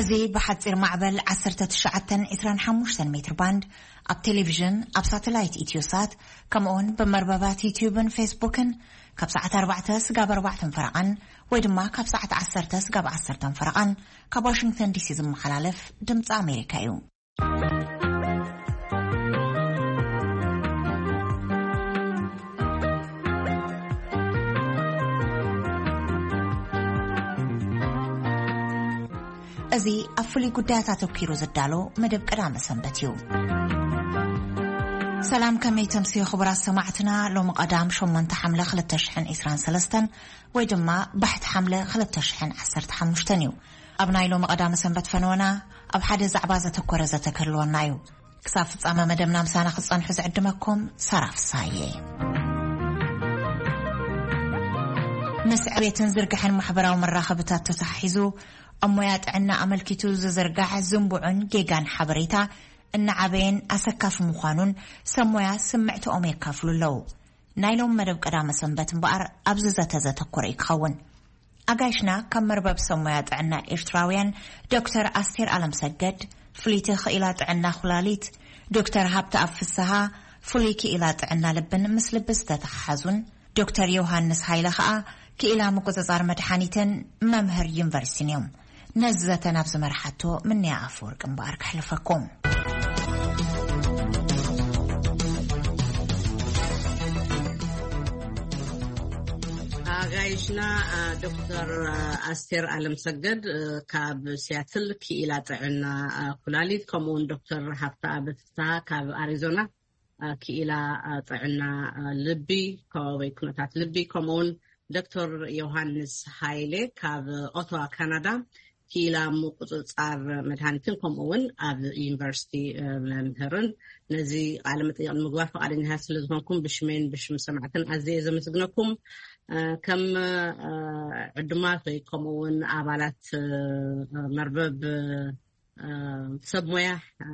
እዚ ብሓጺር ማዕበል ዓሰርተ ትሽዓተ ዕስራን ሓሙሽተን ሜትር ባንድ፣ ኣብ ቴሌቪዥን፣ ኣብ ሳተላይት ኢትዮሳት፣ ከምኡውን ብመርበባት ዩትዩብን ፌስቡክን ካብ ሰዓት ኣርባዕተ ስጋብ ኣርባዕተን ፈረቓን ወይ ድማ ካብ ሰዓት ዓሰርተ ስጋብ ዓሰርተን ፈረቓን ካብ ዋሽንግተን ዲሲ ዝመሓላለፍ ድምፂ ኣሜሪካ እዩ። እዚ ኣብ ፍሉይ ጉዳያት ኣተኲሩ ዝዳሎ መደብ ቀዳመ ሰንበት እዩ። ሰላም፣ ከመይ ተምስዩ ክቡራት ሰማዕትና? ሎሚ ቀዳም ሸሞንተ ሓምለ ክልተ ሽሕን ዕስራን ሰለስተን ወይ ድማ ባሕቲ ሓምለ ክልተ ሽሕን ዓሰርተ ሓሙሽተን እዩ። ኣብ ናይ ሎሚ ቀዳመ ሰንበት ፈነወና ኣብ ሓደ ዛዕባ ዘተኮረ ዘተ ክህልወና እዩ። ክሳብ ፍጻመ መደብና ምሳና ክትጸንሑ ዝዕድመኩም ሳራ ፍሳየ። ምስ ዕቤትን ዝርግሐን ማሕበራዊ መራኸብታት ተተሓሒዙ ኣብ ሞያ ጥዕና ኣመልኪቱ ዝዝርጋሕ ዝንቡዕን ጌጋን ሓበሬታ እናዓበየን ኣሰካፊ ምዃኑን ሰብ ሞያ ስምዕትኦም የካፍሉ ኣለዉ። ናይ ሎም መደብ ቀዳመ ሰንበት እምበኣር ኣብዚ ዘተ ዘተኮረ እዩ ክኸውን። ኣጋይሽና ካብ መርበብ ሰብ ሞያ ጥዕና ኤርትራውያን ዶክተር ኣስቴር ኣለምሰገድ፣ ፍልይቲ ክኢላ ጥዕና ኩላሊት፣ ዶክተር ሃብተኣብ ፍስሃ፣ ፍሉይ ክኢላ ጥዕና ልብን ምስ ልቢ ዝተተሓሓዙን፣ ዶክተር ዮሃንስ ሃይለ ኸኣ ክኢላ ምቁጽጻር መድሓኒትን መምህር ዩኒቨርሲቲን እዮም። ነዚ ዘተ ናብ ዝመርሓቶ ምንያ ኣፈወርቂ እምበኣር ከሕልፈኩም። ኣጋይሽና፣ አ፣ ዶክተር፣ አ፣ ኣስቴር ኣለምሰገድ፣ እ፣ ካብ ሲያትል ክኢላ ጥዕና፣ አ፣ ኩላሊት፣ ከምኡውን ዶክተር ሃብተኣብ ፍስሃ ካብ ኣሪዞና፣ አ፣ ክኢላ፣ አ፣ ጥዕና፣ አ፣ ልቢ፣ ከባቢ ኩነታት ልቢ፣ ከምኡውን ዶክተር ዮሃንስ ሃይሌ ካብ ኦቶዋ ካናዳ፣ ክኢላ ምቁጽጻር መድሃኒትን ከምኡ እውን ኣብ ዩኒቨርሲቲ፣ እ፣ መምህርን። ነዚ ቃለ መጠይቕ ንምግባር ፈቓደኛታት ስለ ዝኾንኩም ብሽመይን ብሽም ሰማዕትን ኣዝየ ዘመስግነኩም። እ፣ ከም፣ እ፣ ዕዱማት ወይ ከምኡ እውን ኣባላት፣ እ፣ መርበብ፣ እ፣ ሰብ ሞያ፣ እ፣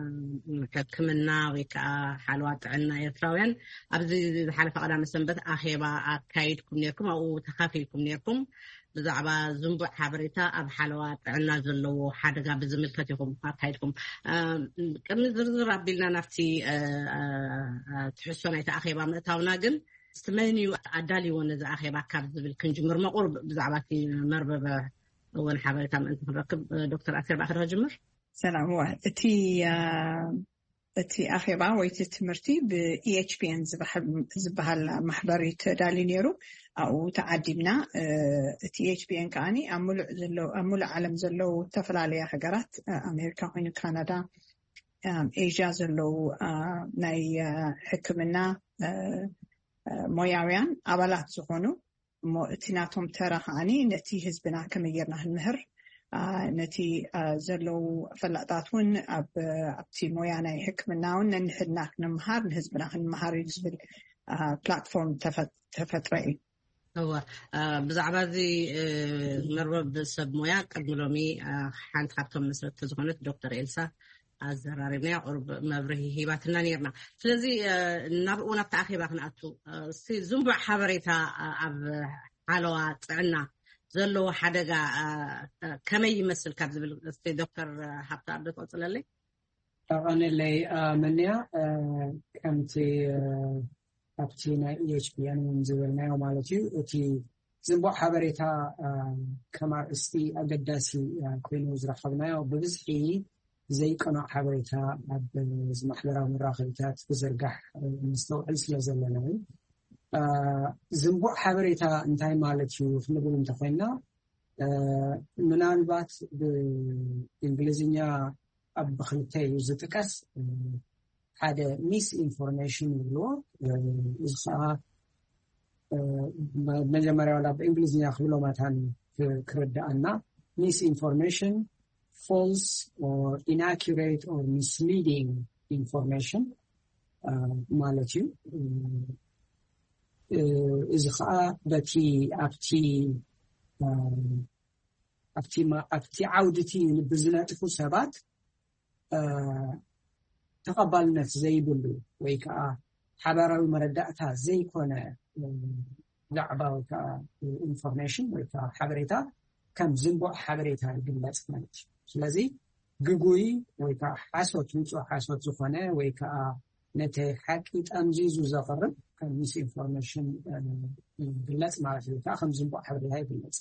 ሕክምና ወይ ከዓ ሓለዋ ጥዕና ኤርትራውያን ኣብዚ ዝሓለፈ ቀዳመ ሰንበት ኣኼባ ኣካይድኩም ነርኩም፣ ኣብኡ ተኻፊልኩም ነርኩም። ብዛዕባ ዝንቡዕ ሓበሬታ ኣብ ሓለዋ ጥዕና ዘለዎ ሓደጋ ብዝምልከት ኢኹም ኣካይድኩም። እ፣ ቅድሚ ዝርዝር ኣቢልና ናብቲ፣ እ፣ እ፣ እ፣ ትሕዝቶ ናይቲ ኣኼባ ምእታውና ግን፣ እስቲ መን እዩ ኣዳልይዎ ነዚ ኣኼባ ካብ ዝብል ክንጅምር፣ መቑር ብዛዕባ እቲ መርበብ እውን ሓበሬታ ምእንቲ ክንረክብ፣ እ፣ ዶክተር ኣሴር ብኣኻ ዶ ክጅምር? ሰላም፣ እዋ፣ እቲ፣ እ፣ እቲ ኣኼባ ወይ እቲ ትምህርቲ ብ-፣ ኢ ኤች ፒ ኤን ዝበሃል፣ ዝበሃል ማሕበር እዩ ተዳልዩ ነይሩ። ኣብኡ ተዓዲምና። እ፣ እቲ ኢ ኤች ፒ ኤን ከኣኒ ኣብ ሙሉእ ዘሎ-፣ ኣብ ሙሉእ ዓለም ዘለዉ ዝተፈላለያ ሃገራት፣ እ፣ ኣሜሪካ ኮይኑ ካናዳ፣ እ፣ ኤዥያ ዘለዉ፣ እ፣ ናይ፣ እ፣ ሕክምና፣ እ፣ እ፣ ሞያውያን ኣባላት ዝኾኑ፣ እሞ እቲ ናቶም ተራ ከዓኒ ነቲ ህዝብና ከመይ ጌርና ክንምህር፣ አ፣ ነቲ፣ አ፣ ዘለዉ ፈላጣት እውን ኣብ፣ ኣብቲ ሞያ ናይ ሕክምና እውን ነንሕድና ክንምሃር፣ ንህዝብና ክንምሃር እዩ ዝብል፣ አ፣ ፕላትፎርም ተፈ-፣ ተፈጥረ እዩ። እወ፣ አ፣ ብዛዕባ እዚ፣ እ፣ መርበብ ሰብ ሞያ ቅድሚ ሎሚ፣ አ፣ ሓንቲ ካብቶም መስረትቲ ዝኾነት ዶክተር ኤልሳ ኣዘራሪብናያ፣ ቁሩብ መብርሂ ሂባትና ነይርና። ስለዚ፣ እ፣ ናብ እውን ኣብቲ ኣኼባ ክንኣቱ፣ እ፣ እስቲ ዝንቡዕ ሓበሬታ፣ እ፣ ኣብ ሓለዋ ጥዕና ዘለዎ ሓደጋ፣ እ፣ እ፣ ከመይ ይመስል ካብ ዝብል እስቲ ዶክተር ሃብተኣብ ትቐጽለለይ? ተቐንለይ፣ እ፣ መንያ፣ እ፣ ከምቲ፣ እ፣ ኣብቲ ናይ ኢ ኤች ፒ ኤን እውን ዝበልናዮ ማለት እዩ። እቲ ዝንቡዕ ሓበሬታ፣ እ፣ ከም ኣርእስቲ ኣገዳሲ፣ እ፣ ኮይኑ ዝረኸብናዮ ብብዝሒ ዘይቀኑዕ ሓበሬታ ኣብ፣ እ፣ ማሕበራዊ መራኸቢታት ክዝርጋሕ፣ እ፣ ነስተውዕል ስለ ዘለና እዩ። እ፣ ዝንቡዕ ሓበሬታ እንታይ ማለት እዩ ክንብል እንተኾይንና፣ እ፣ ምናልባት ብእንግሊዝኛ ኣብ ብኽልተ እዩ ዝጥቀስ። እ፣ ሓደ ሚስ ኢንፎርሜሽን ይብልዎ። እ፣ እዚ ከዓ፣ እ፣ መ-፣ መጀመርያ ዋላ ብእንግሊዝኛ ክብሎ መታን ክ-፣ ክርድኣና፣ ሚስ ኢንፎርሜሽን፣ ፎልስ ኦር ኢናኩሬት ኦር ሚስሊዲንግ ኢንፎርሜሽን፣ እ፣ ማለት እዩ። እ፣ እ፣ እዚ ከዓ በቲ ኣብቲ፣ እ፣ ኣብቲ ማ-፣ ኣብቲ ዓውዲ እቲ ብዝነጥፉ ሰባት፣ እ፣ ተቐባልነት ዘይብሉ ወይ ከዓ ሓባራዊ መረዳእታ ዘይኮነ፣ እ፣ ዛዕባ ወይ ከዓ ኢንፎርሜሽን ወይ ከዓ ሓበሬታ ከም ዝንቡዕ ሓበሬታ ይግለጽ ማለት እዩ። ስለዚ ግጉይ ወይ ከዓ ሓሶት፣ ንጹህ ሓሶት ዝኾነ ወይ ከዓ ነቲ ሓቂ ጠምዚዙ ዘቕርብ ከም ሚስኢንፎርሜሽን ይግለጽ ማለት እዩ። ወይ ከዓ ከም ዝንቡዕ ሓበሬታ ይግለጽ።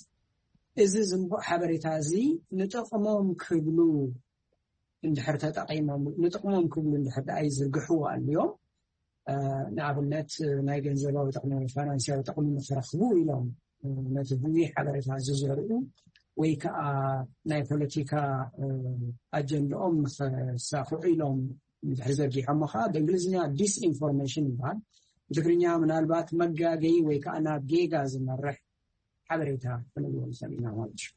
እዚ ዝንቡዕ ሓበሬታ እዚ ንጥቕሞም ክብሉ እንድሕር ተጠቒሞም፣ ንጥቕሞም ክብሉ እንድሕር ደኣ ይዝርግሕዎ ኣልዮም፣ ንኣብነት ናይ ገንዘባዊ ጥቕሚ፣ ፋይናንስያዊ ጥቕሚ ንክረኽቡ ኢሎም ነቲ ብዙሕ ሓበሬታ ዝዘርኡ ወይ ከዓ ናይ ፖለቲካ ኣጀንዳኦም ንክሳኽዑ ኢሎም እንድሕር ዘርጊሖሞ ከዓ ብእንግሊዝኛ ዲስኢንፎርሜሽን ይበሃል። ብትግርኛ ምናልባት መጋገይ ወይ ከዓ ናብ ጌጋ ዝመርሕ ሓበሬታ ክንብሎ ንኽእል ኢና ማለት እዩ።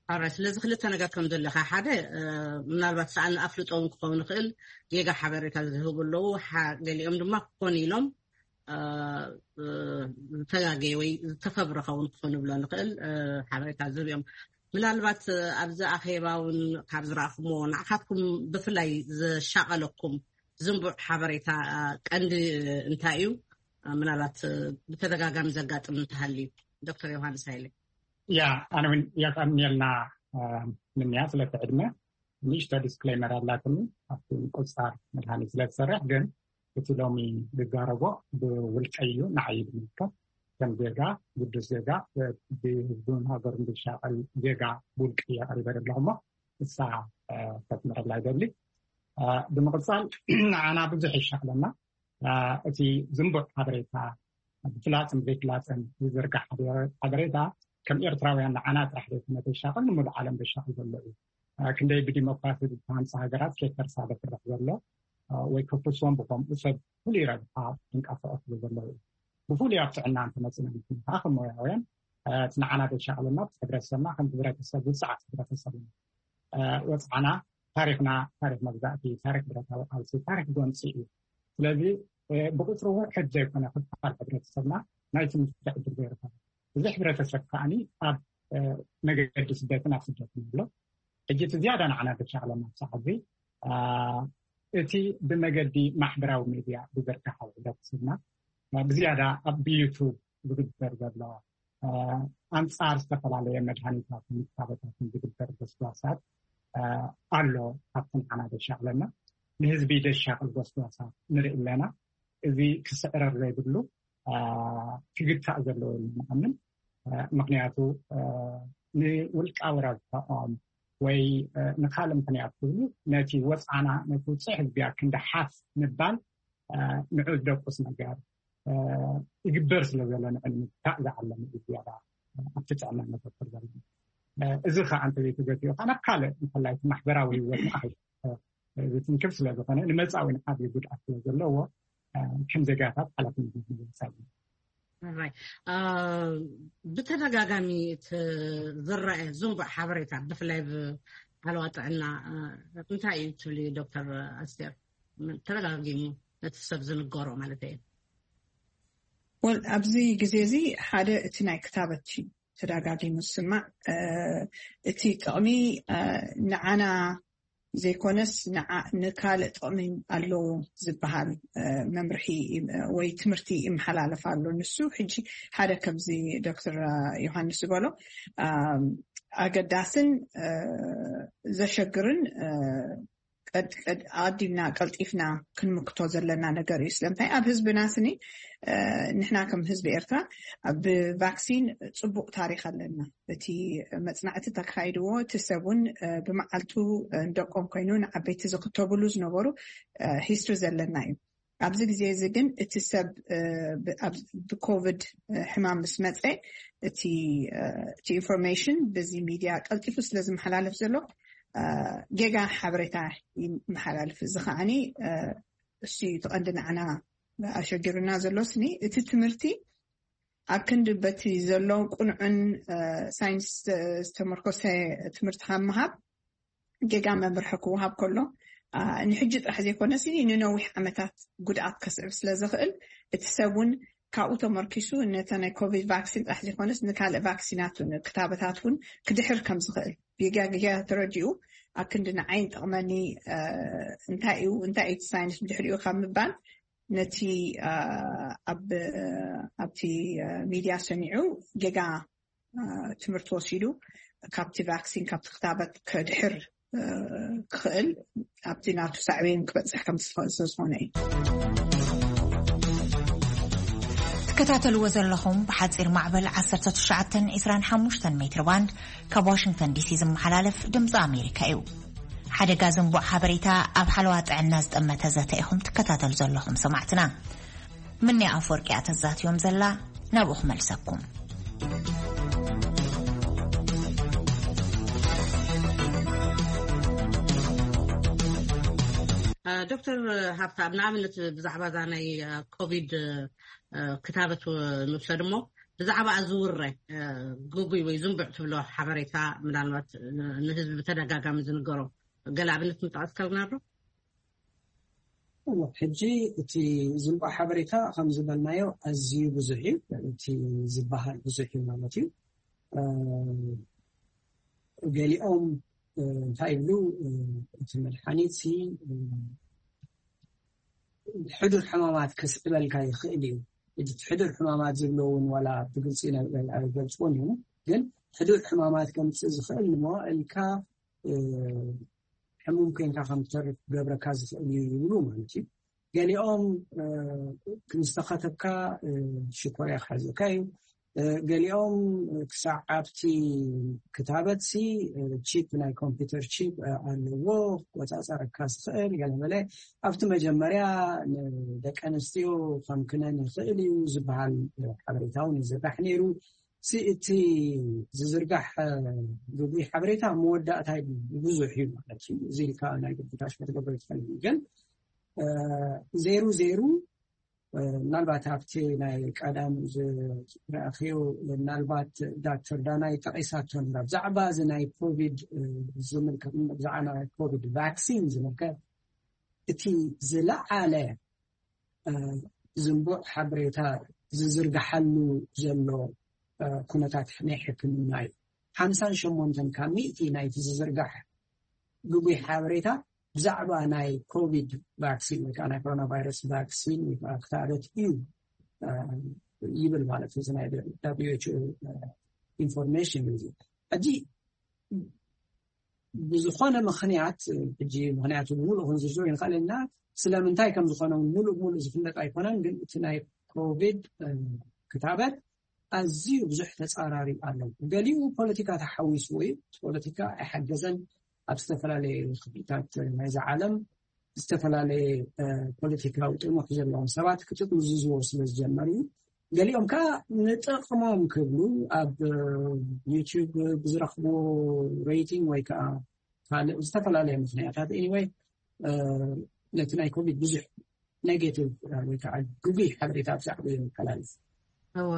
ኣረ ስለዚ ክልተ ነገር ከም ዘለካ፣ ሓደ ምናልባት ሰኣን ኣፍልጦ እውን ክኸውን ይኽእል። ጌጋ ሓበሬታ ዝህቡ ኣለዉ። ገሊኦም ድማ ክኾኑ ኢሎም ዝተጋገየ ወይ ዝተፈብረኸ እውን ክኾኑ ብሎ ንኽእል ሓበሬታ ዝህብ እዮም። ምናልባት ኣብዚ ኣኼባ እውን ካብ ዝረኣኹምዎ ንዓኻትኩም ብፍላይ ዘሻቐለኩም ዝንቡዕ ሓበሬታ ቀንዲ እንታይ እዩ? ምናልባት ብተደጋጋሚ ዘጋጥም እንተሃልዩ ዶክተር ዮሃንስ ሃይለ። ያ ኣነ እውን የቀንየልና ምንያ ስለቲ ዕድመ። ንእሽቶ ዲስክሌመር ኣላትኒ ኣብቲ ቁፃር መድሃኒት ስለዝሰርሕ፣ ግን እቲ ሎሚ ዝዛረቦ ብውልቀይ እዩ፣ ንዓይ እዩ ዝምልከት። ከም ዜጋ፣ ግዱስ ዜጋ፣ ብህዝቡን ሃገሩን ዝሻቐል ዜጋ ብውልቂ እየ ቀሪበ ዘለኹ እሞ እሳ ከስምረላ ይደሊ። ብምቕፃል ንዓና ብዙሕ ይሻቕለና እቲ ዝንቡዕ ሓበሬታ፣ ብፍላፅን ዘይፍላፅን ዝዝርጋሕ ሓበሬታ ከም ኤርትራውያን ንዓና ጥራሕ ዘይኮነ ዘሻቕል ንሙሉእ ዓለም ዘሻቕል ዘሎ እዩ። ክንደይ ብዲሞክራሲ ዝተሃንፃ ሃገራት ከይፈርሳ ዘፍርሕ ዘሎ ወይ ከፍርሶም ብከምኡ ሰብ ፍሉይ ረብሓ ዝንቀሳቐስሉ ዘለዉ እዩ። ብፍሉይ ኣብ ጥዕና እንተመፅና ከዓ ከም ሞያውያን እቲ ንዓና ዘሻቕለና ህብረተሰብና ከም ህብረተሰብ ውፅዓት ህብረተሰብ እዩ። ወፅዓና ታሪክና ታሪክ መግዛእቲ፣ ታሪክ ብረታዊ ቃልሲ፣ ታሪክ ጎንፂ እዩ። ስለዚ ብቁፅሪ ውሕድ ዘይኮነ ክፋል ሕብረተሰብና ናይ ትምህርቲ ዕድል ዘይረኸበ እዚ ሕብረተሰብ ከዓኒ ኣብ መገዲ ስደትን ኣብ ስደትን ኣሎ። ሕጂ እቲ ዝያዳ ንዓና ዘሻቕለና ሳዕ እዚ እቲ ብመገዲ ማሕበራዊ ሚድያ ዝዝርጋሕ ሕብረተሰብና ብዝያዳ ኣብ ብዩቱብ ዝግበር ዘሎ ኣንፃር ዝተፈላለየ መድሃኒታትን ክታበታትን ዝግበር ጎስጓሳት ኣሎ። ካብቲ ንዓና ዘሻቕለና ንህዝቢ ዘሻቕል ጎስጓሳት ንርኢ ኣለና። እዚ ክስዕረር ዘይብሉ ክግታእ ዘለዎ ኢልና ንኣምን። ምክንያቱ ንውልቃዊ ረብሕኦም ወይ ንካልእ ምክንያት ክብሉ ነቲ ወፅዓና ነቲ ውፅዕ ህዝብያ ክንዲ ሓፍ ምባል ንዑ ዝደቁስ ነገር ይግበር ስለ ዘሎ ንዕሊ ምግታእ ዝዓለመ እዩ ዝያዳ ኣብቲ ጥዕና ነተኩር ዘለና። እዚ ከዓ እንተዘይተገቲኡ ከዓ ናብ ካልእ እንተላይ እቲ ማሕበራዊ ህይወት ንኣኸይ ዝትንክፍ ስለ ዝኾነ ንመፃዊ ንዓብዩ ጉድኣት ስለ ዘለዎ ከም ዜጋታት ሓላፍነት ንወፃኢ ብተደጋጋሚ ዝረአ ዝንቡዕ ሓበሬታ ብፍላይ ብዓለዋ ጥዕና እንታይ እዩ ትብሊ ዶክተር ኣስቴር? ተደጋጊሙ ነቲ ሰብ ዝንገሮ ማለት እዩ። ወል ኣብዚ ግዜ እዚ ሓደ እቲ ናይ ክታበት እዩ ተደጋጊሙ ዝስማዕ። እቲ ጥቕሚ ንዓና ዘይኮነስ ንዓ- ንካልእ ጥቕሚ ኣለዎ ዝበሃል መምርሒ ወይ ትምህርቲ ይመሓላለፍ ኣሎ። ንሱ ሕጂ ሓደ ከምዚ ዶክተር ዮሃንስ ዝበሎ ኣገዳስን ዘሸግርን ቀድ- ቀድ- ኣቐዲምና ቀልጢፍና ክንምክቶ ዘለና ነገር እዩ። ስለምንታይ ኣብ ህዝብና ስኒ ንሕና ከም ህዝቢ ኤርትራ ብቫክሲን ፅቡቕ ታሪክ ኣለና። እቲ መፅናዕቲ ተካይድዎ እቲ ሰብ እውን ብመዓልቱ ንደቆም ኮይኑ ንዓበይቲ ዝክተብሉ ዝነበሩ ሂስትሪ ዘለና እዩ። ኣብዚ ግዜ እዚ ግን እቲ ሰብ ብኮቪድ ሕማም ምስ መፀ እቲ ኢንፎርሜሽን በዚ ሚድያ ቀልጢፉ ስለ ዝመሓላለፍ ዘሎ ጌጋ ሓበሬታ ይመሓላልፍ። እዚ ከዓኒ እሱ እዩ እቲ ቀንዲ ንዓና ኣሸጊሩና ዘሎ። ስኒ እቲ ትምህርቲ ኣብ ክንዲ በቲ ዘሎ ቁኑዕን ሳይንስ ዝተመርኮሰ ትምህርቲ ካብ ምሃብ ጌጋ መምርሒ ክወሃብ ከሎ ንሕጂ ጥራሕ ዘይኮነስ ንነዊሕ ዓመታት ጉድኣት ከስዕብ ስለ ዝኽእል እቲ ሰብ እውን ካብኡ ተመርኪሱ ነተ ናይ ኮቪድ ቫክሲን ጥራሕ ዘይኮነስ ንካልእ ቫክሲናት ክታበታት እውን ክድሕር ከም ዝኽእል ጌጋ ጌጋ ተረዲኡ ኣብ ክንዲ ንዓይን ጠቕመኒ እንታይ እዩ እንታይ እዩ ሳይንስ ብድሕሪኡ ካብ ምባል ነቲ ኣብቲ ሚድያ ሰሚዑ ጌጋ ትምህርቲ ወሲዱ ካብቲ ቫክሲን ካብቲ ክታበት ከድሕር ክኽእል ኣብቲ ናቱ ሳዕቤን ክበፅሕ ከም ዝኽእል ስለ ዝኾነ እዩ። ትከታተልዎ ዘለኹም ብሓፂር ማዕበል ዓሰርተ ትሽዓተ ዕስራን ሓሙሽተን ሜትር ባንድ ካብ ዋሽንግተን ዲሲ ዝመሓላለፍ ድምፂ ኣሜሪካ እዩ። ሓደጋ ዝንቡዕ ሓበሬታ ኣብ ሓለዋ ጥዕና ዝጠመተ ዘተ ኢኹም ትከታተሉ ዘለኹም ሰማዕትና። ምንያ ኣፈወርቂ እያ ተዛትዮም ዘላ። ናብኡ ክመልሰኩም። ዶክተር ሃብታም፣ ንኣብነት ብዛዕባ እዛ ናይ ኮቪድ ክታበት ንውሰድ እሞ፣ ብዛዕባ ዝውረ ግጉይ ወይ ዝንቡዕ ትብሎ ሓበሬታ ምናልባት ንህዝቢ ብተደጋጋሚ ዝንገሮ ገለ ኣብነት ምጥቃስ ከልና ዶ? ሕጂ እቲ ዝንቡዕ ሓበሬታ ከም ዝበልናዮ ኣዝዩ ብዙሕ እዩ። እቲ ዝበሃል ብዙሕ እዩ ማለት እዩ። ገሊኦም እንታይ ይብሉ፣ እቲ መድሓኒት ሕዱር ሕማማት ከስዕበልካ ይኽእል እዩ። እቲ ሕዱር ሕማማት ዝብሎ እውን ዋላ ብግልፂ ኣይገልፅዎን እዩ፣ ግን ሕዱር ሕማማት ከምፅእ ዝኽእል ንመዋእልካ ሕሙም ኮይንካ ከም ትተርፍ ክገብረካ ዝኽእል እዩ ይብሉ ማለት እዩ። ገሊኦም ምስ ተኸተብካ ሽኮርያ ክሓዘካ እዩ። ገሊኦም ክሳዕ ኣብቲ ክታበትሲ ቺፕ፣ ናይ ኮምፒውተር ቺፕ ኣለዎ ክቆፃፀረካ ዝኽእል ገለመለ። ኣብቲ መጀመርያ ንደቂ ኣንስትዮ ከም ክነን ይኽእል እዩ ዝበሃል ሓበሬታ እውን ይዝራሕ ነይሩ። እቲ ዝዝርጋሕ ግጉይ ሓበሬታ መወዳእታ ብዙሕ እዩ ማለት እዩ። እዚ ኢልካ ናይ ግብታሽ ክትገብሮ ይትኽእል እዩ። ግን ዜሩ ዜሩ ምናልባት ኣብቲ ናይ ቀዳም ዝረኣኽዮ ምናልባት ዳክተር ዳናይ ጠቒሳቶ ነራ ብዛዕባ እዚ ናይ ኮቪድ ዝምልከት፣ ብዛዕባ ናይ ኮቪድ ቫክሲን ዝምልከት እቲ ዝለዓለ ዝንቡዕ ሓበሬታ ዝዝርግሓሉ ዘሎ ኩነታት ናይ ሕክምና እዩ። ሓምሳን ሸሞንተን ካብ ሚእቲ ናይቲ ዝዝርጋሕ ግጉይ ሓበሬታ ብዛዕባ ናይ ኮቪድ ቫክሲን ወይ ከዓ ናይ ኮሮና ቫይረስ ቫክሲን ወይ ከዓ ክታበት እዩ ይብል ማለት እዩ። ናይ WHO ኢንፎርሜሽን እዩ። ሕጂ ብዝኾነ ምኽንያት፣ ሕጂ ምኽንያቱ ብምሉእ ክንዝርዝሮ ይንኽእል ኢና። ስለምንታይ ከም ዝኾነ እውን ምሉእ ብምሉእ ዝፍለጥ ኣይኮነን፣ ግን እቲ ናይ ኮቪድ ክታበት ኣዝዩ ብዙሕ ተጻራሪ ኣሎ። ገሊኡ ፖለቲካ ተሓዊስዎ እዩ። ፖለቲካ ኣይሓገዘን። ኣብ ዝተፈላለየ ክፍልታት ናይዛ ዓለም ዝተፈላለየ ፖለቲካዊ ጥሙሕ ዘለዎም ሰባት ክጥምዝዝዎ ስለ ዝጀመሩ እዩ። ገሊኦም ከዓ ንጥቕሞም ክብሉ ኣብ ዩቲዩብ ብዝረኽብዎ ሬቲንግ ወይ ከዓ ካልእ ዝተፈላለየ ምኽንያታት፣ ኤኒወይ፣ ነቲ ናይ ኮቪድ ብዙሕ ኔጌቲቭ ወይ ከዓ ግጉይ ሓበሬታ ብዛዕባ የመሓላልፍ። እዎ፣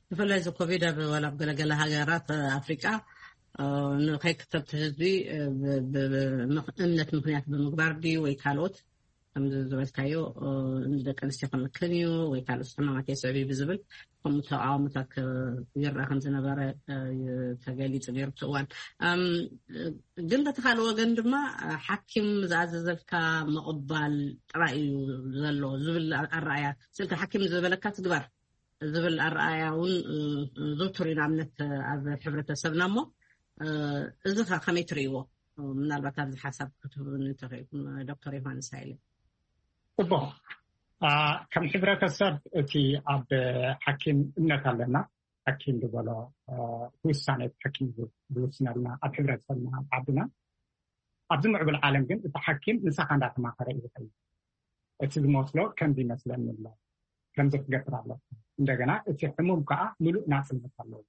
ብፍላይ እዚ ኮቪድ ኣብ ዋላ ኣብ ገለገለ ሃገራት ኣፍሪቃ ንኸይክተብ ህዝቢ እምነት ምኽንያት ብምግባር ድዩ ወይ ካልኦት ከምዚ ዝበልካዮ ንደቂ ኣንስትዮ ክምክን እዩ ወይ ካልኦት ሕማማት የስዕብ እዩ ብዝብል ከምኡ ተቃውሞታት ይረኣ ከም ዝነበረ ተገሊፁ ነይሩ እቲ እዋን። ግን በቲ ካልእ ወገን ድማ ሓኪም ዝኣዘዘልካ ምቕባል ጥራይ እዩ ዘሎ ዝብል ኣረኣያ፣ ስልካ ሓኪም ዝበለካ ትግበር ዝብል ኣረኣያ እውን ዝውቱር እዩ ንኣብነት ኣብ ሕብረተሰብና። እሞ እዚ ከ ከመይ ትርእይዎ? ምናልባት ኣብዚ ሓሳብ ክትህቡ እንተኽእልኩም ዶክተር ዮሃንስ ሃይለ። ጽቡቕ። ከም ሕብረተሰብ እቲ ኣብ ሓኪም እምነት ኣለና። ሓኪም ዝበሎ ውሳኔ ሓኪም ዝውስነልና ኣብ ሕብረተሰብና ኣብ ዓድና ኣብዚ ምዕቡል ዓለም ግን እቲ ሓኪም ምሳኻ እንዳተማኸረ እዩ ዝኸይድ። እቲ ዝመስሎ ከምዚ ይመስለኒ ኣሎ፣ ከምዚ ክገብር ኣለካ። እንደገና እቲ ሕሙም ከዓ ምሉእ ናፅነት ኣለዎ።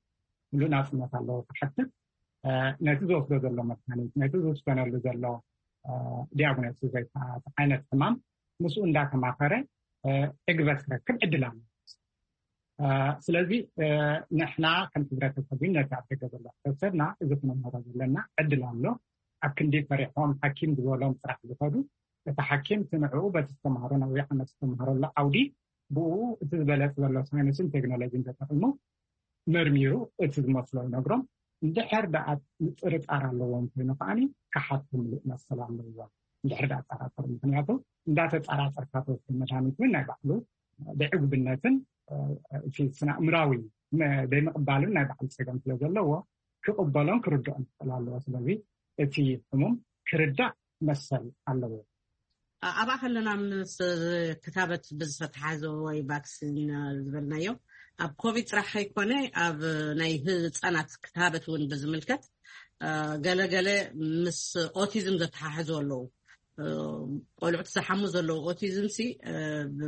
ምሉእ ናፅነት ኣለዎ ክሓትት ነቲ ዝወስዶ ዘሎ መድሃኒት፣ ነቲ ዝውሰነሉ ዘሎ ዲያግኖሲስ ወይ ከዓ ዓይነት ሕማም ምስኡ እንዳተማኸረ ዕግበት ክረክብ ዕድል ኣሎ። ስለዚ ንሕና ከም ሕብረተሰብ ነቲ ኣብ ደገ ዘሎ ሕብረተሰብና እዚ ክነምህሮ ዘለና ዕድል ኣሎ። ኣብ ክንዲ ፈሪሖም ሓኪም ዝበሎም ጥራሕ ዝኸዱ፣ እቲ ሓኪም እቲ ንዕኡ በቲ ዝተምሃሮ ነዊሕ ዓመት ዝተምሃረሉ ዓውዲ ብኡ እቲ ዝበለፅ ዘሎ ሳይንስን ቴክኖሎጂን ተጠቂሙ መርሚሩ እቲ ዝመስሎ ይነግሮም። እንድሕር ደኣ ምጥርጣር ኣለዎም ኮይኑ ከዓኒ ክሓቱ ምሉእ መሰል ኣለዎም። እንድሕር ደኣ ጠራጠሩ፣ ምክንያቱ እንዳተጠራጠርካ ተወስዶ መድሃኒት እውን ናይ ባዕሉ ብዕጉብነትን እቲ ስነ ኣእምራዊ ዘይምቕባልን ናይ ባዕሉ ፀገም ስለ ዘለዎ ክቕበሎን ክርድኦን ክኽእል ኣለዎ። ስለዚ እቲ ሕሙም ክርዳእ መሰል ኣለዎ። ኣብኣ ከለና ምስ ክታበት ብዝተተሓዘ ወይ ቫክሲን ዝበልናዮ ኣብ ኮቪድ ጥራሕ ኣይኮነ፣ ኣብ ናይ ህፃናት ክታበት እውን ብዝምልከት ገለገለ ምስ ኦቲዝም ዘተሓሕዙ ኣለዉ። ቆልዑት ዝሓሙ ዘለዉ ኦቲዝም ሲ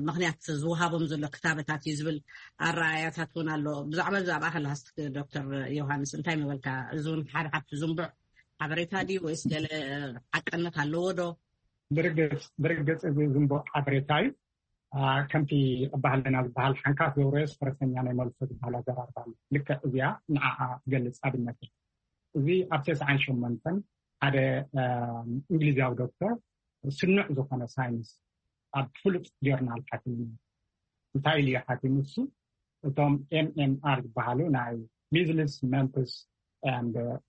ምክንያት ዝወሃቦም ዘሎ ክታበታት እዩ ዝብል ኣረኣያታት እውን ኣሎ። ብዛዕባ እዚ ኣብኣ ከለሃስ ዶክተር ዮሃንስ እንታይ ምበልካ? እዚ እውን ሓደ ካብቲ ዝንቡዕ ሓበሬታ ድዩ ወይስ ገለ ሓቅነት ኣለዎ ዶ? ብርግፅ እዚ ዝንቡዕ ሓበሬታ እዩ። ከምቲ ባህልና ዝበሃል ሓንካት ዘውረዮስ ፈረሰኛ ናይ መልሶ ዝበሃል ኣዘራርባ ኣሎ። ልክዕ እዚኣ ንዓኣ ትገልፅ ኣብነት እዩ። እዚ ኣብ ተስዓን ሸሞንተን ሓደ እንግሊዛዊ ዶክተር ስኑዕ ዝኾነ ሳይንስ ኣብ ፍሉጥ ጆርናል ሓቲሙ። እንታይ ኢሉ ሓቲሙ እሱ? እቶም ኤምኤምኣር ዝበሃሉ ናይ ሚዝልስ፣ መምፕስ፣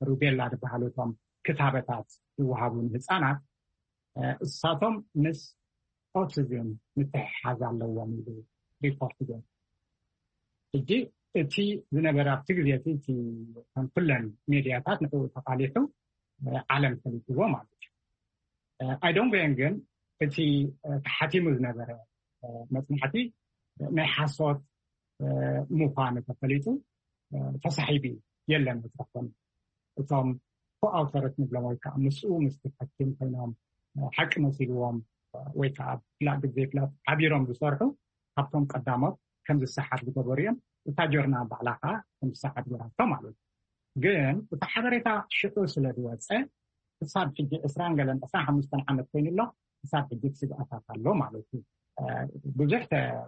ሩቤላ ዝበሃሉ እቶም ክታበታት ዝወሃቡ ንህፃናት እሳቶም ምስ ኦቲዝም ምትሕሓዝ ኣለዎም ኢሉ ሪፖርት ገይሩ። ሕጂ እቲ ዝነበረ ኣብቲ ግዜ እቲ ከም ኩለን ሜድያታት ንዕኡ ተቃሊሑ ዓለም ፈሊጥዎ ማለት እዩ። ኣይዶንጎየን ግን እቲ ተሓቲሙ ዝነበረ መፅናዕቲ ናይ ሓሶት ምዃኑ ተፈሊጡ ተሳሒቡ የለን ዝረኾን እቶም ኮኣውተረት ንብሎም ወይ ከዓ ምስኡ ምስ ተፈኪም ኮይኖም ሓቂ መሲልዎም ወይ ከዓ ፍላጥ ግዜ ፍላጥ ሓቢሮም ዝሰርሑ ካብቶም ቀዳሞት ከም ዝሰሓት ዝገበሩ እዮም። እታ ጆርና ባዕላ ከዓ ከም ዝሰሓት ገራቶ ማለት እዩ። ግን እቲ ሓበሬታ ሽዑ ስለ ዝወፀ ክሳብ ሕጂ ዕስራን ገለን ዕስራን ሓሙሽተን ዓመት ኮይኑ ኣሎ። ክሳብ ሕጂ ስግኣታት ኣሎ ማለት እዩ። ብዙሕ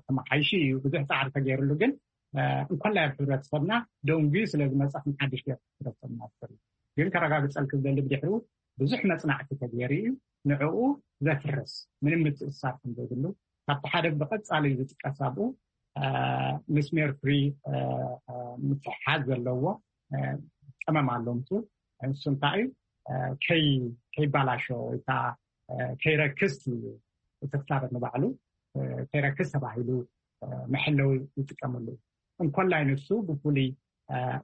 ተመሓይሹ እዩ፣ ብዙሕ ፃዕሪ ተገይርሉ፣ ግን እንኮላይ ኣብ ሕብረተሰብና ደንጉዩ ስለ ዝመፀ ከም ሓድሽ ገይሩ ሕብረተሰብና ዝፈሪ ግን ከረጋግፀልክ ዝደሊ ብድሕሪኡ ብዙሕ መፅናዕቲ ተገይሩ እዩ። ንዕኡ ዘፍርስ ምንም ምትእሳር ከም ዘይብሉ ካብቲ ሓደ ብቐፃሊ ዝጥቀስ ኣብኡ ምስ ሜርኩሪ ምትሕሓዝ ዘለዎ ቀመም ኣሎ። ምስ ንሱ እንታይ እዩ ከይባላሾ ወይ ከዓ ከይረክስ እዩ። እቲ ክታበት ንባዕሉ ከይረክስ ተባሂሉ መሐለዊ ይጥቀመሉ። እንኮላይ ንሱ ብፍሉይ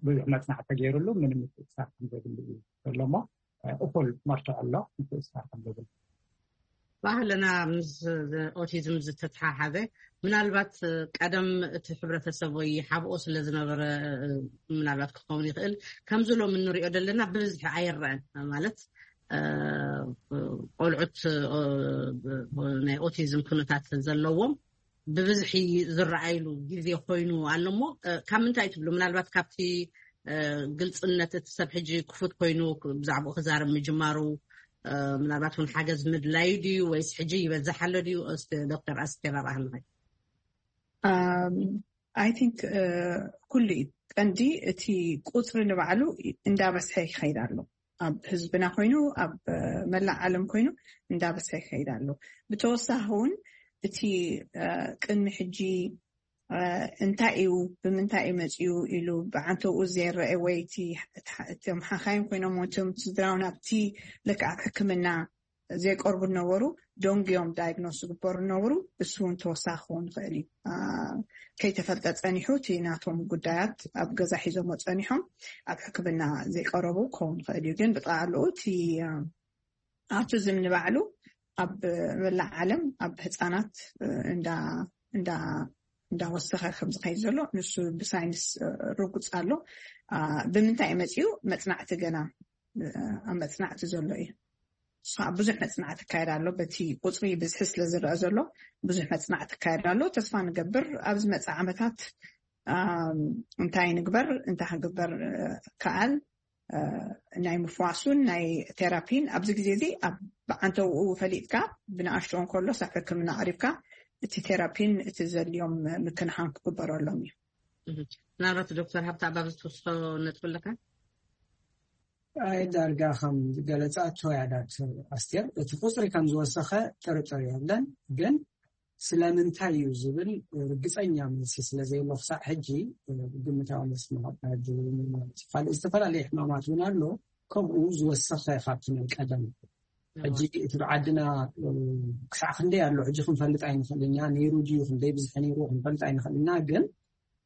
ብዙሕ መፅናዕቲ ተገይሩሉ ምንም ምትእሳር ከም ዘድሊ እዩ ዘሎ እሞ እኹል መርትዖ ኣሎ ምትእሳር ከም ዘድሊ። ባህልና ምስ ኦቲዝም ዝተተሓሓዘ ምናልባት ቀደም እቲ ሕብረተሰብ ወይ ሓብኦ ስለ ዝነበረ ምናልባት ክኸውን ይኽእል። ከምዚ ሎም እንሪኦ ዘለና ብብዝሒ ኣይረአን ማለት ቆልዑት ናይ ኦቲዝም ኩነታት ዘለዎም ብብዝሒ ዝረኣይሉ ግዜ ኮይኑ ኣሎ እሞ ካብ ምንታይ ትብሉ? ምናልባት ካብቲ ግልፅነት እቲ ሰብ ሕጂ ክፉት ኮይኑ ብዛዕባኡ ክዛረብ ምጅማሩ ምናልባት እውን ሓገዝ ምድላዩ ድዩ ወይስ ሕጂ ይበዝሕ ኣሎ ድዩ? ዶክተር ኣስቴር ኣብኣ ኣለኸ I think ኩሉ እዩ ቀንዲ እቲ ቁፅሪ ንባዕሉ እንዳበዝሐ ይኸይድ ኣሎ። ኣብ ህዝብና ኮይኑ ኣብ መላእ ዓለም ኮይኑ እንዳበዝሐ ይኸይድ ኣሎ። ብተወሳኺ እውን እቲ ቅድሚ ሕጂ እንታይ እዩ ብምንታይ እዩ መፅኡ ኢሉ ብዓንተኡ ዘይረአ ወይ እቶም ሓኻይም ኮይኖም እቶም ስድራውን ኣብቲ ልክዕ ኣብ ሕክምና ዘይቀርቡ ነበሩ፣ ደንጉዮም ዳይግኖስ ዝግበሩ ነበሩ። እሱ እውን ተወሳኺ ክኸውን ይኽእል እዩ። ከይተፈልጠ ፀኒሑ እቲ ናቶም ጉዳያት ኣብ ገዛ ሒዞሞ ፀኒሖም ኣብ ሕክምና ዘይቀረቡ ክኸውን ይኽእል እዩ። ግን ብጠቓልኡ እቲ ኣውቲዝም ንባዕሉ ኣብ መላእ ዓለም ኣብ ህፃናት እንዳወሰኸ ከም ዝኸይድ ዘሎ ንሱ ብሳይንስ ርጉፅ ኣሎ። ብምንታይ እዩ መፅኡ? መፅናዕቲ ገና ኣብ መፅናዕቲ ዘሎ እዩ። ብዙሕ መፅናዕቲ ይካየድ ኣሎ። በቲ ቁፅሪ ብዝሒ ስለ ዝረአ ዘሎ ብዙሕ መፅናዕቲ ይካየድ ኣሎ። ተስፋ ንገብር ኣብ ዝመፅእ ዓመታት እንታይ ንግበር፣ እንታይ ክንግበር ከኣል ናይ ምፍዋሱን ናይ ቴራፒን ኣብዚ ግዜ እዚ ኣብ ብዓንተውኡ ፈሊጥካ ብንኣሽቶ እንከሎ ሳብ ሕክምና ቀሪብካ እቲ ቴራፒን እቲ ዘድልዮም ምክንኻን ክግበረሎም እዩ። ምናልባት ዶክተር ሃብታ ኣባብ ዝትወስዶ ነጥቢ ኣለካ? ኣይ ዳርጋ ከም ዝገለፃ ተወያዳት ኣስቴር እቲ ቁፅሪ ከም ዝወሰኸ ጥርጥር የለን። ግን ስለምንታይ እዩ ዝብል ርግፀኛ መልሲ ስለዘየሎ ክሳዕ ሕጂ ግምታዊ መልሲ ምሃብ ማለት እዩ። ካልእ ዝተፈላለየ ሕማማት እውን ኣሎ ከምኡ ዝወሰኸ ካብቲ ናይ ቀደም። ሕጂ እቲ ብዓድና ክሳዕ ክንደይ ኣሎ ሕጂ ክንፈልጥ ኣይንኽእል ኢና። ነይሩ ድዩ ክንደይ ብዝሒ ነይሩ ክንፈልጥ ኣይንኽእል ኢና። ግን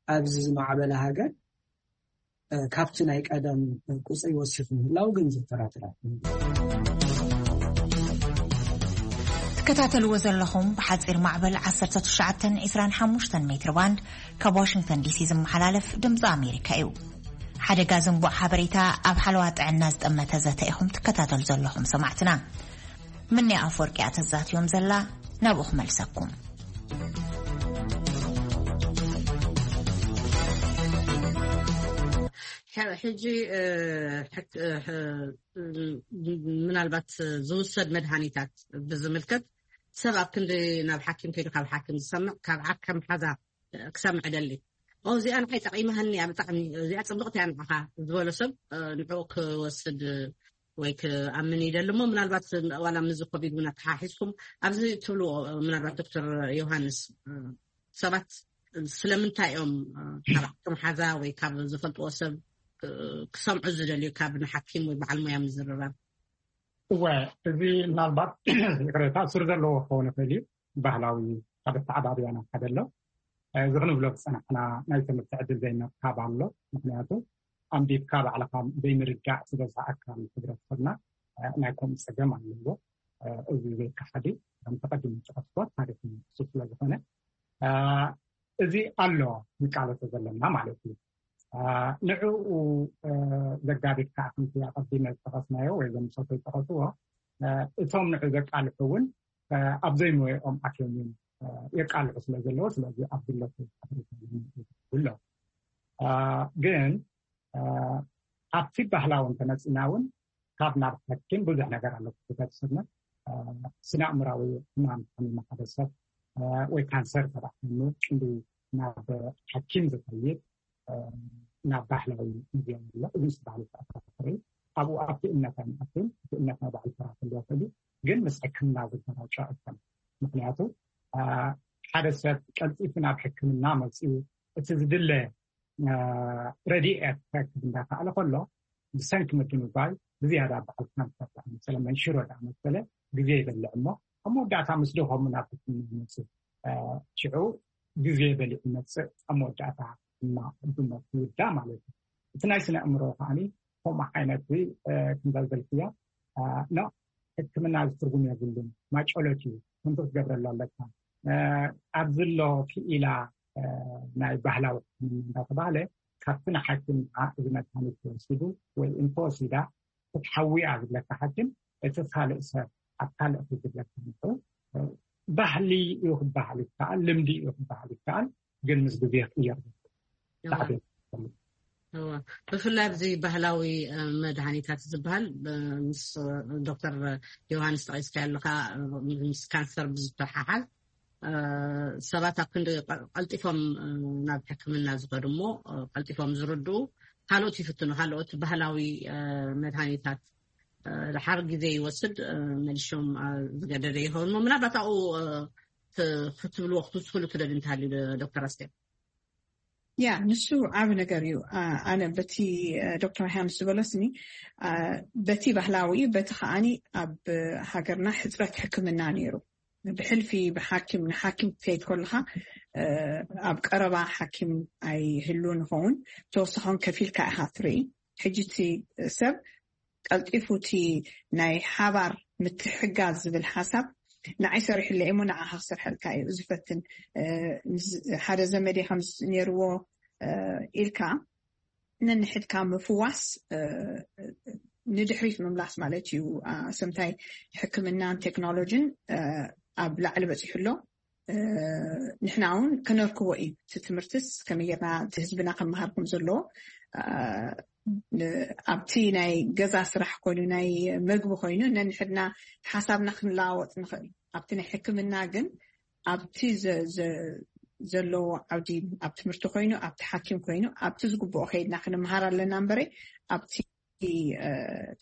ኣብዚ ዝማዕበለ ሃገር ካብቲ ናይ ቀደም ቁፅሪ ወሲኹ ምህላው ግን ዘተራትር ኣይኮነን። ትከታተልዎ ዘለኹም ብሓጺር ማዕበል ዓሰርተ ትሽዓተ ዕስራን ሓሙሽተን ሜትር ባንድ ካብ ዋሽንግተን ዲሲ ዝመሓላለፍ ድምፂ ኣሜሪካ እዩ። ሓደጋ ዝንቡዕ ሓበሬታ ኣብ ሓለዋ ጥዕና ዝጠመተ ዘተ ኢኹም ትከታተሉ ዘለኹም ሰማዕትና። ምንያ ኣፈወርቂ እያ ተዛትዮም ዘላ፣ ናብኡ ክመልሰኩም። ሕጂ ምናልባት ዝውሰድ መድሃኒታት ብዝምልከት፣ ሰብ ኣብ ክንዲ ናብ ሓኪም ከይዱ ካብ ሓኪም ዝሰምዕ፣ ካብ ዓርከ መሓዛ ክሰምዕ ደሊ። ኦ፣ እዚኣ ንዓይ ጠቒማሃኒ እያ፣ ብጣዕሚ እዚኣ ጽብቕቲ እያ ንዓኻ ዝበሎ ሰብ ንዕኡ ክወስድ ወይ ክኣምን ይደሊ። እሞ ምናልባት ዋላ ምዚ ኮቪድ እውን ኣተሓሒዝኩም ኣብዚ ትብልዎ፣ ምናልባት ዶክተር ዮሃንስ፣ ሰባት ስለምንታይ እዮም ካብ ዓርከ መሓዛ ወይ ካብ ዝፈልጥዎ ሰብ ክሰምዑ ዝደልዩ ካብ ንሓኪም ወይ በዓል ሞያ ምዝርራብ? እወ፣ እዚ ምናልባት ይቕሬታ ሱር ዘለዎ ክኸውን ይኽእል እዩ። ባህላዊ ካብ ኣተዓባብያና ሓደ ኣሎ። እዚ ክንብሎ ዝጸናሕና ናይ ትምህርቲ ዕድል ዘይምርካብ ኣሎ። ምኽንያቱ ኣንቢብካ ባዕልኻ ዘይምርዳእ ዝበዝሓ ኣካል ሕብረተሰብና ናይ ከምኡ ጸገም ኣለዎ። እዚ ዘይከሓድ እዩ። ከም ተቐዲሙ ዝጠቐስኩዎ ታሪኽ ንሱ ስለ ዝኾነ፣ እዚ ኣሎ ንቃለሶ ዘለና ማለት እዩ። ንዕኡ ዘጋድድ ከዓ ከምቲ ኣቐዲመ ዝጠቐስናዮ ወይ እዞም ሰቶ ዝጠቐስዎ፣ እቶም ንዑ ዘቃልሑ እውን ኣብ ዘይሞየኦም ኣትዮም እዮም የቃልሑ ስለ ዘለዎ፣ ስለዚ ኣብ ድለቱ ኣሎ። ግን ኣብቲ ባህላዊ እንተመፂና እውን ካብ ናብ ሓኪም ብዙሕ ነገር ኣሎ። ክፍተት ስነ ስነ ኣእምራዊ ሕማም ሓሚሙ ሓደ ሰብ ወይ ካንሰር ተባሂሉ ክንዲ ናብ ሓኪም ዝኸይድ ናብ ባህላዊ ሙዚየም ኣሎ። እዚ ምስ ባህሊ ተኣሳሰረ ኣብኡ ኣብቲ እምነት ኣይንኣቱን። እቲ እምነት ናይ ባዕሉ ስራሕ ክህልዎ ይኽእል እዩ፣ ግን ምስ ሕክምና ዝገራጮ ኣይኮነን። ምክንያቱ ሓደ ሰብ ቀልጢፉ ናብ ሕክምና መፂኡ እቲ ዝድለ ረድኤት ክረክብ እንዳከኣለ ከሎ ብሰንኪ ምድንጓይ ብዝያዳ በዓል ካንሰር ደኣ መሰለ መንሽሮ ደኣ መሰለ ግዜ ይበልዕ እሞ ኣብ መወዳእታ ምስ ደኸሙ ናብ ሕክምና ይመፅእ። ሽዑ ግዜ በሊዑ ይመፅእ፣ ኣብ መወዳእታ ድማ ብሞት ይውዳእ ማለት እዩ። እቲ ናይ ስነ ኣእምሮ ከዓኒ ከምኡ ዓይነት እዚ ከምዛ ዝበልክዮ ኖ ሕክምና እዚ ትርጉም የብሉን፣ ማጨሎት እዩ፣ ከምዚ ክትገብረሉ ኣለካ። ኣብዚ ኣሎ ክኢላ ናይ ባህላዊ ሕክምና እንዳተባሃለ ካብቲ ንሓኪም እዚ መድሃኒት ተወሲዱ ወይ እንተወሲዳ ክትሓዊ እያ ዝብለካ ሓኪም፣ እቲ ካልእ ሰብ ኣብ ካልእ ክዝብለካ ንኽእል። ባህሊ እዩ ክበሃል ይከኣል፣ ልምዲ እዩ ክበሃል ይከኣል፣ ግን ምስ ግዜ ክቕየር ይኽእል። እዋ። ሳዕቤን ይፈልጥ። እዋ። ብፍላይ ኣብዚ ባህላዊ መድሃኒታት ዝበሃል ምስ ዶክተር ዮሃንስ ጠቒስካ ኣለኻ፣ ምስ ካንሰር ብዝተሓሓዝ ሰባት ኣብ ክንዲ ቀልጢፎም ናብ ሕክምና ዝኸዱ እሞ ቀልጢፎም ዝርድኡ ካልኦት ይፍትኑ፣ ካልኦት ባህላዊ መድሃኒታት ድሓር ግዜ ይወስድ፣ መሊሾም ዝገደደ ይኸውን እሞ ምናልባት ኣብኡ ክትብልዎ ክትውስክሉ ትደልዩ እንተሃልዩ ዶክተር ኣስቴር? ያ ንሱ ዓብ ነገር እዩ። ኣነ በቲ ዶክተር ሃምስ ዝበሎስኒ በቲ ባህላዊ በቲ ከዓኒ ኣብ ሃገርና ሕፅረት ሕክምና ነይሩ። ብሕልፊ ብሓኪም ንሓኪም ክትከይድ ከለካ ኣብ ቀረባ ሓኪም ኣይህሉ ንኸውን ተወሳኾን ከፊልካ ኢካ ትርኢ። ሕጂ እቲ ሰብ ቀልጢፉ እቲ ናይ ሓባር ምትሕጋዝ ዝብል ሓሳብ ንዓይ ሰሪሕለይ እሞ ንዓኻ ክሰርሐልካ እዩ ዝፈትን። ሓደ ዘመዴ ከምዚ ነይርዎ ኢልካ ነንሕድካ ምፍዋስ ንድሕሪት ምምላስ ማለት እዩ። ሰምታይ ሕክምናን ቴክኖሎጂን ኣብ ላዕሊ በፂሑ ኣሎ። ንሕና እውን ከነርክቦ እዩ እቲ ትምህርትስ ከመይ ጌርና እቲ ህዝብና ከመሃር ከም ዘለዎ ኣብቲ ናይ ገዛ ስራሕ ኮይኑ ናይ መግቢ ኮይኑ ነንሕድና ሓሳብና ክንለዋወጥ ንኽእል። ኣብቲ ናይ ሕክምና ግን ኣብቲ ዘለዎ ዓውዲ ኣብ ትምህርቲ ኮይኑ ኣብቲ ሓኪም ኮይኑ ኣብቲ ዝግብኦ ከይድና ክንመሃር ኣለና እምበረ ኣብቲ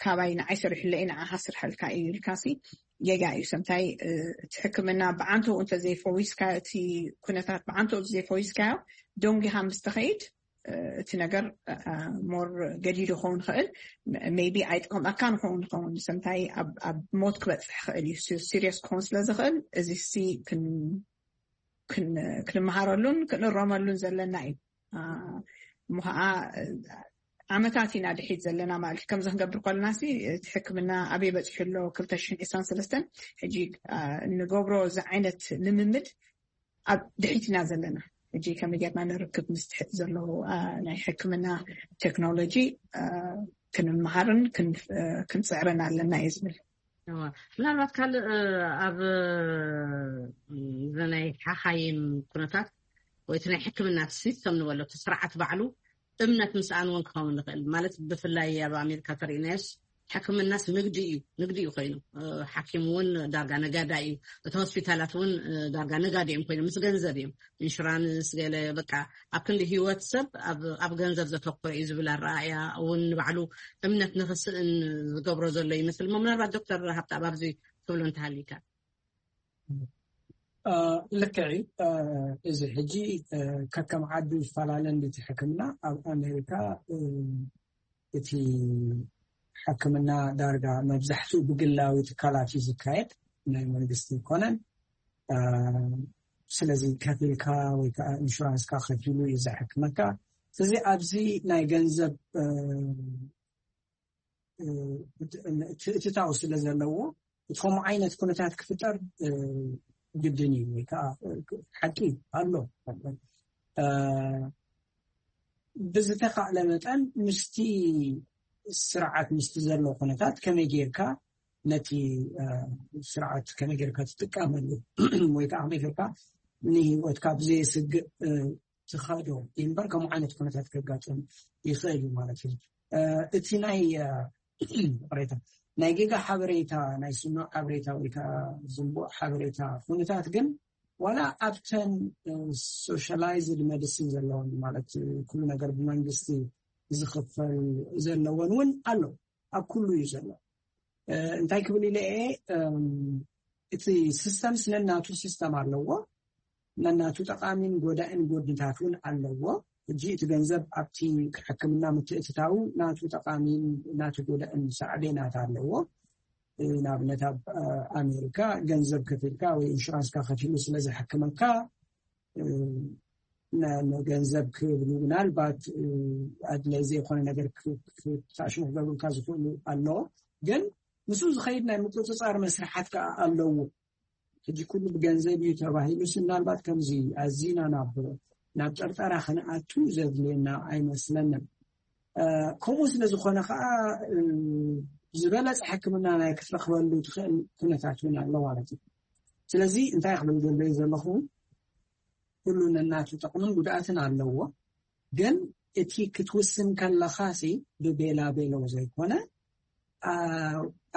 ካባይ ንዓይ ሰሪሕለ እዩ ንዓኻ ስርሐልካ እዩ ኢልካሲ ጌጋ እዩ። ሰምታይ እቲ ሕክምና ብዓንተኡ እንተዘይፈዊስካዮ እቲ ኩነታት ብዓንተኡ ዘይፈዊስካዮ ደንጊኻ ምስ ተኸይድ እቲ ነገር ሞር ገዲዱ ክኸውን ይኽእል። ሜቢ ኣይጠቕመካ ንኸውን ይኸውን ሰምታይ ኣብ ሞት ክበፅሕ ይኽእል እዩ። ሲሪየስ ክኸውን ስለ ዝኽእል እዚ ሲ ክንመሃረሉን ክንእረመሉን ዘለና እዩ። እሞ ከዓ ዓመታት ኢና ድሒት ዘለና ማለት እዩ። ከምዚ ክንገብር ከለና ሲ እቲ ሕክምና ኣበይ በፂሑ ኣሎ? ክልተ ሽሕን ዕስራን ሰለስተን ሕጂ ንገብሮ እዚ ዓይነት ልምምድ ኣብ ድሒት ኢና ዘለና። ሕጂ ከመይ ጌርና ንርክብ ምስ ትሕት ዘሎ ናይ ሕክምና ቴክኖሎጂ ክንመሃርን ክንፅዕርን ኣለና እየ ዝብል። ምናልባት ካልእ ኣብ ናይ ሓኻይም ኩነታት ወይ እቲ ናይ ሕክምና ሲስተም ንበሎ እቲ ስርዓት ባዕሉ እምነት ምስኣን እውን ክኸውን ይኽእል። ማለት ብፍላይ ኣብ ኣሜሪካ ተርእናዮስ ሕክምናስ ንግዲ እዩ፣ ንግዲ እዩ ኮይኑ። ሓኪም እውን ዳርጋ ነጋዳ እዩ። እቲ ሆስፒታላት እውን ዳርጋ ነጋዲ እዮም ኮይኖም፣ ምስ ገንዘብ እዮም። ኢንሹራንስ ገለ በቃ ኣብ ክንዲ ህይወት ሰብ ኣብ ገንዘብ ዘተኮረ እዩ ዝብል ኣረኣእያ እውን ንባዕሉ እምነት ንክስእን ዝገብሮ ዘሎ ይመስል። ምናልባት ዶክተር ሃብታ ኣብዚ ትብሎ እንተሃሊካ። ልክዕ እዩ። እዚ ሕጂ ከከም ዓዱ ይፈላለ እንዲቲ ሕክምና። ኣብ ኣሜሪካ እቲ ሕክምና ዳርጋ መብዛሕትኡ ብግላዊ ትካላት እዩ ዝካየድ፣ ናይ መንግስቲ ኣይኮነን። ስለዚ ከፊልካ ወይ ከዓ ኢንሹራንስካ ከፊሉ እዩ ዘሕክመካ። ስለዚ ኣብዚ ናይ ገንዘብ እትታው ስለ ዘለዎ እቲ ከምኡ ዓይነት ኩነታት ክፍጠር ግድን እዩ፣ ወይ ከዓ ሓቂ ኣሎ። ብዝተኻእለ መጠን ምስቲ ስርዓት ምስቲ ዘሎ ኩነታት ከመይ ጌርካ ነቲ ስርዓት ከመይ ጌርካ ትጥቀመሉ ወይ ከዓ ከመይ ጌርካ ንህይወትካ ብዘየስግእ ትኸዶ እምበር ከምኡ ዓይነት ኩነታት ከጋጥም ይኽእል እዩ ማለት እዩ። እቲ ናይ ቅሬታ ናይ ጌጋ ሓበሬታ ናይ ስኑዕ ሓበሬታ ወይ ከዓ ዝንቡዕ ሓበሬታ ኩነታት ግን ዋላ ኣብተን ሶሻላይዝድ መዲሲን ዘለውን ማለት ኩሉ ነገር ብመንግስቲ ዝኽፈል ዘለወን እውን ኣሎ። ኣብ ኩሉ እዩ ዘሎ። እንታይ ክብል ኢለ እየ እቲ ሲስተምስ ነናቱ ሲስተም ኣለዎ። ነናቱ ጠቃሚን ጎዳእን ጎድንታት እውን ኣለዎ። ሕጂ እቲ ገንዘብ ኣብቲ ሕክምና ምትእትታው ናቱ ጠቃሚን ናቱ ጎዳእን ሳዕቤናት ኣለዎ። ንኣብነት ኣብ ኣሜሪካ ገንዘብ ከፊልካ ወይ ኢንሹራንስካ ከፊሉ ስለ ዘሕክመካ ገንዘብ ክብሉ ምናልባት ኣድላይ ዘይኮነ ነገር ክሳሽሙ ክገብሩካ ዝኽእሉ ኣለዎ። ግን ምስኡ ዝኸይድ ናይ ምቁፅፃር መስርሓት ከዓ ኣለዎ። ሕጂ ኩሉ ብገንዘብ እዩ ተባሂሉስ ምናልባት ከምዚ ኣዚና ናብ ናብ ጠርጠራ ክንኣቱ ዘድልየና ኣይመስለንን። ከምኡ ስለ ዝኾነ ከዓ ዝበለፀ ሕክምና ናይ ክትረክበሉ ትኽእል ኩነታት እውን ኣሎ ማለት እዩ። ስለዚ እንታይ ክብል ዘለዩ ዘለኹ፣ ኩሉ ነናቱ ጥቕምን ጉድኣትን ኣለዎ። ግን እቲ ክትውስን ከለኻ ሲ ብቤላ ቤሎ ዘይኮነ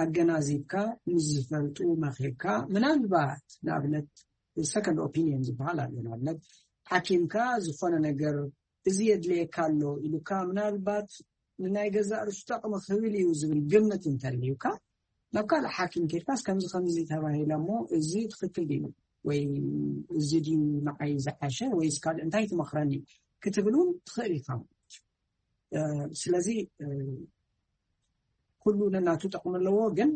ኣገናዚብካ ምስ ዝፈልጡ መኺርካ፣ ምናልባት ንኣብነት ሰከንድ ኦፒኒየን ዝበሃል ኣሎ። ንኣብነት ሓኪምካ ዝኾነ ነገር እዚ የድልየካ ኣሎ ኢሉካ፣ ምናልባት ንናይ ገዛእ ርእሱ ጠቕሚ ክብል እዩ ዝብል ግምት እንተልዩካ ናብ ካልእ ሓኪም ኬድካስ ከምዚ ከምዚ ተባሂለ እሞ እዚ ትኽክል ድዩ ወይ እዚ ድዩ ንዓይ ዝሓሸ ወይስ ካልእ እንታይ ትመኽረኒ ክትብል እውን ትኽእል ኢኻ ማለት እዩ። ስለዚ ኩሉ ነናቱ ጠቕሚ ኣለዎ፣ ግን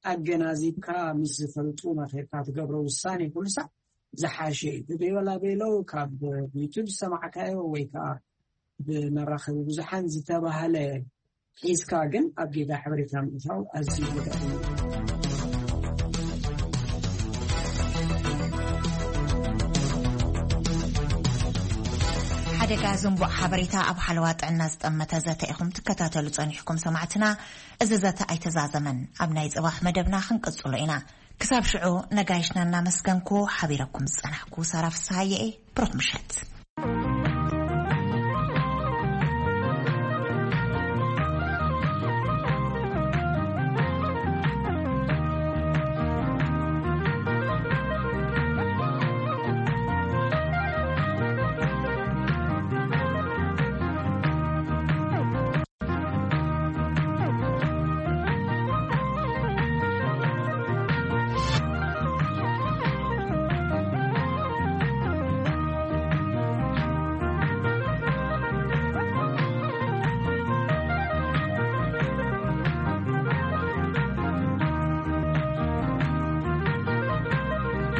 ኣገናዚብካ ምስ ዝፈልጡ መኺርካ ትገብሮ ውሳኔ ኩሉ ሳዕ ዝሓሸ እዩ። ብቤላ ቤሎ ካብ ዩቱብ ዝሰማዕካዮ ወይ ከዓ ብመራኸቢ ብዙሓን ዝተባህለ ሒዝካ ግን ኣብ ጌጋ ሓበሬታ ምእታው ኣዝዩ ይጎዳእ እዩ። ሓደጋ ዝንቡዕ ሓበሬታ ኣብ ሓለዋ ጥዕና ዝጠመተ ዘተ ኢኹም ትከታተሉ ጸኒሕኩም ሰማዕትና። እዚ ዘተ ኣይተዛዘመን፣ ኣብ ናይ ጽባሕ መደብና ክንቅጽሎ ኢና። ክሳብ ሽዑ ነጋይሽና እናመስገንኩ ሓቢረኩም ዝጸናሕኩ ሳራ ፍስሃየ እየ። ብሩኽ ምሸት።